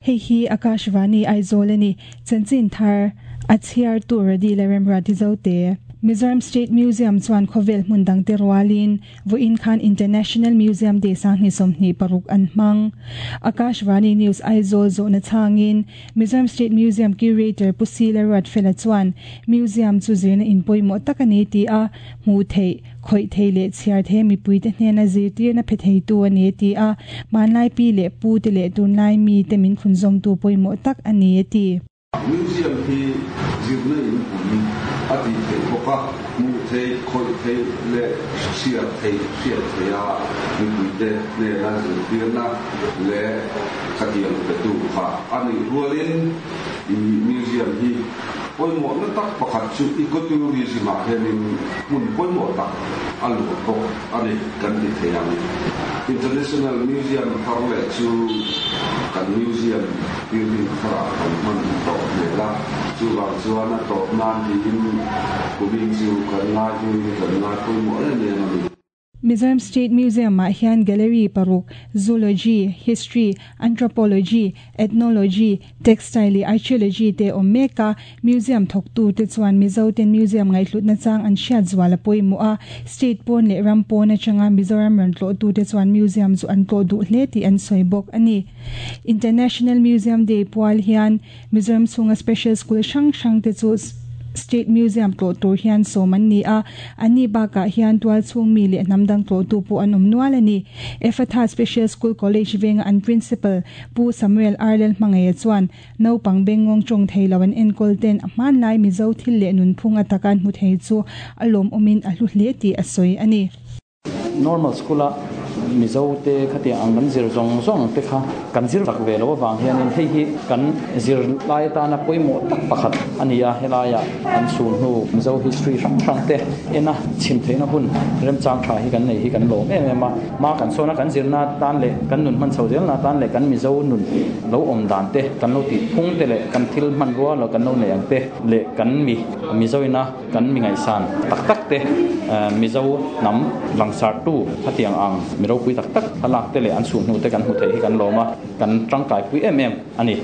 Hei hi Akashvani Aizawl a ni. Chanchin thar a chhiartu Radi leh Remruati Zote. Mizoram State Museum chuan khawvel hmun dangte rualin vawiin khan International Museum Day 2026 an hmang. Akashvani News Aizawl zawhna chhangin Mizoram State Museum Curator Pu Sila Ruatfela chuan Museum chu zirna in pawimawh tak a ni tih a hmuh theih. Khawih thei leh chhiar thei mipuite hnena zirtirna phe theitu a ni a ti a, hmanlai pi leh pu te leh tunlai mite min thlunzawmtu pawimawh tak a ni a ti. Museum hi zirna in pui a tih theih bawk a, hmuh theih, khawih theih leh chhiar theih hriat theih a mipuite hnena zirtirna leh khatiang petu kha a nih rualin i museum hi Pawimawhna tak pakhat chu ecotourism-ah hianin hmun pawimawh tak a luah bawk a ni kan ti thei ang. International Museum thar leh chu kan museum building tharah kan hman tawh hmel a, chuvang chuan a tawp nan tiin kumin chu kan ngaihluin kan ngai pawimawh em em a ni. Mizoram State Museum-ah hian gallery paruk, Zoology, History, Anthropology, Ethnology, Textile leh Archaeology te awm mek a. Museum thawktute chuan Mizoten museum ngaihhlutna chang an hriat zual a pawimawh a, state pawn leh ram pawn atanga Mizoram rawn tlawhtute chuan museum chu an tlawh duh hle tih an sawi bawk a ni. International Museum Day pual hian Mizoram chhunga special school hrang hrang te chu State Museum tlawh tur hian sawm an ni a, anni bakah hian tual chhung mi leh hnam dang tlawhtu pawh an awm nual a ni. Ephatha Special School College venga an Principal Pu Samuel Arlel Hmangaia chuan naupang bengngawng tawng thei lo an enkawl ten a hmanlai Mizo thil leh nunphung ataka an hmu thei chu a lawmawmin a hlu hle tih a sawi a ni. Normal school a Mizo te khatiang ang kan zir zawng zawng te kha kan zir chak ve loh avang hianin hei hi kan zir lai atana pawimawh tak pakhat a ni a, helaiah an chhun hnu Mizo history hrang hrang te ena chhim theihna hun remchang tha hi kan nei hi kan lawm em em a, hma kan sawn a kan zirna atan leh kan nun hman chho zelna atan leh kan Mizo nun lo awm dan te kan lo tih phung te leh kan thil hmanrua lo kan lo neih ang te leh kan mi Mizo ina Kan mi ngaihsan tak tak te, Mizo hnam langsartu khatiang ang mi ropui tak tak thlalak te leh an chhuhhnu te kan hmu theih hi kan lawm a, kan tangkaipui em em a ni.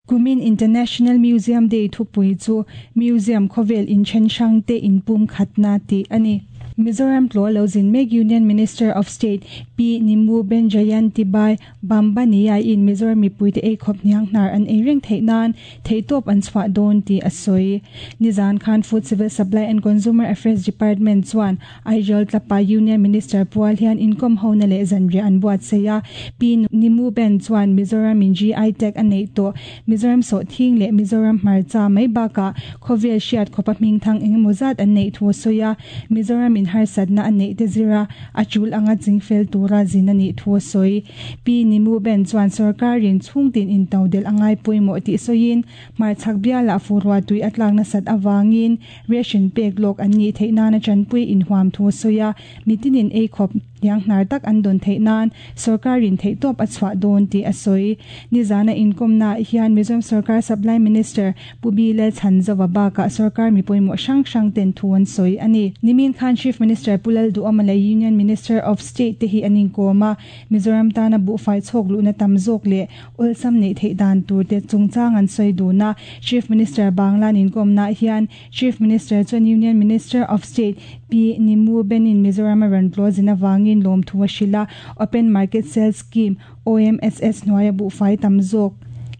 Kumin International Museum Day thupui chu Museum khawvel inthen hrang te inpumkhatna tih a ni. Mizoram tlawh lo zin mek Union Minister of State Pi Nimu Benjayanti Bai Bambania in Mizoram mipuite eikhawp hniang hnar an ei reng theih nan theihtawp an chhuah dawn tih a sawi. Nizan khan Food Civil Supply and Consumer Affairs Department chuan Aizawl tlapa Union Minister pual hian inkawm hona leh zanriah an buatsaih a. Pi Nimu Ben chuan Mizoram in GI tag a neih tawh Mizoram sawhthing leh Mizoram hmarcha mai bakah khawvel hriat khawpa hmingthang engemaw zat an neih thu a sawi a. Mizoram in harsatna a neih te zira a tul anga chingfel tura zin a nih thu a sawi. Pi Nimu Ben chuan sorkarin chhungtin intodelh a ngai pawimawh tih sawiin, hmarchhak bialah furua tui a tlak nasat avangin ration pek lawk an nih theih nana tanpui inhuam thu a sawi a, mitinin eikhawp hniang hnar tak an dawn theih nan sorkarin theihtawp a chhuah dawn tih a sawi. Nizana inkawmnaah hian Mizoram sorkar Supply Minister Pu Bi Lalchhanzova bakah sorkar mi pawimawh hrang hrang ten thu an sawi a ni. Nimin khan Chief Minister Pu Lalduhawma leh Union Minister of State te hi an inkawm a, Mizoram tana buhfai chhawk luhna tam zawk leh awlsam neih theih dan tur te chungchang an sawi dun a. Chief Minister Banglan inkawmnaah hian Chief Minister chuan Union Minister of State Pi Nimu Benin Mizoram a rawn tlawh zin avangin lawmthu a hrilh a, Open Market Sales Scheme, OMSS, hnuaia buhfai tam zawk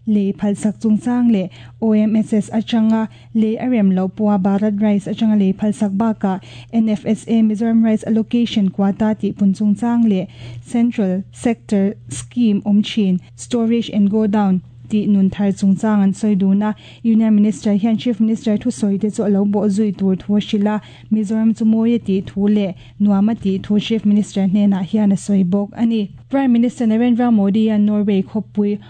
lei phalsak chungchang leh OMSS atanga lei a rem loh pawha Bharat Rice atanga lei phalsak bakah NFSA Mizoram Rice Allocation Quota tih pun chungchang leh Central Sector Scheme awm thin Storage and Godown tih nun thar chungchang an sawi dun a. Union Minister hian Chief Minister thusawi te chu a lo bawh zui tur thu a hrilh a, Mizoram chu mawi a tih thu leh nuam a tih thu Chief Minister hnenah hian a sawi bawk a ni. Prime Minister Narendra Modi hian Norway khawpui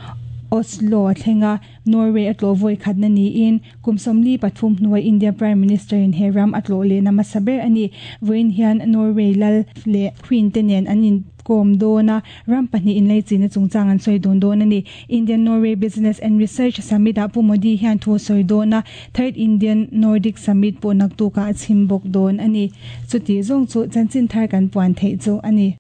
Oslo a thleng a, Norway a tlawh vawi khatna niin kum 43 hnuai India Prime Minister in he ram a tlawh lehna hmasa ber a ni. Vawiin hian Norway lal leh Queen te nen an inkawm dawn a, ram pahnih inleichihna chungchang an sawi dun dawn a ni. Indian Norway Business and Research Summit ah Pu Modi hian thu a sawi dawn a, Third Indian Nordic Summit pawh naktukah a chhim bawk dawn a ni. Chuti zawng chu chanchin thar kan puan theih chu a ni.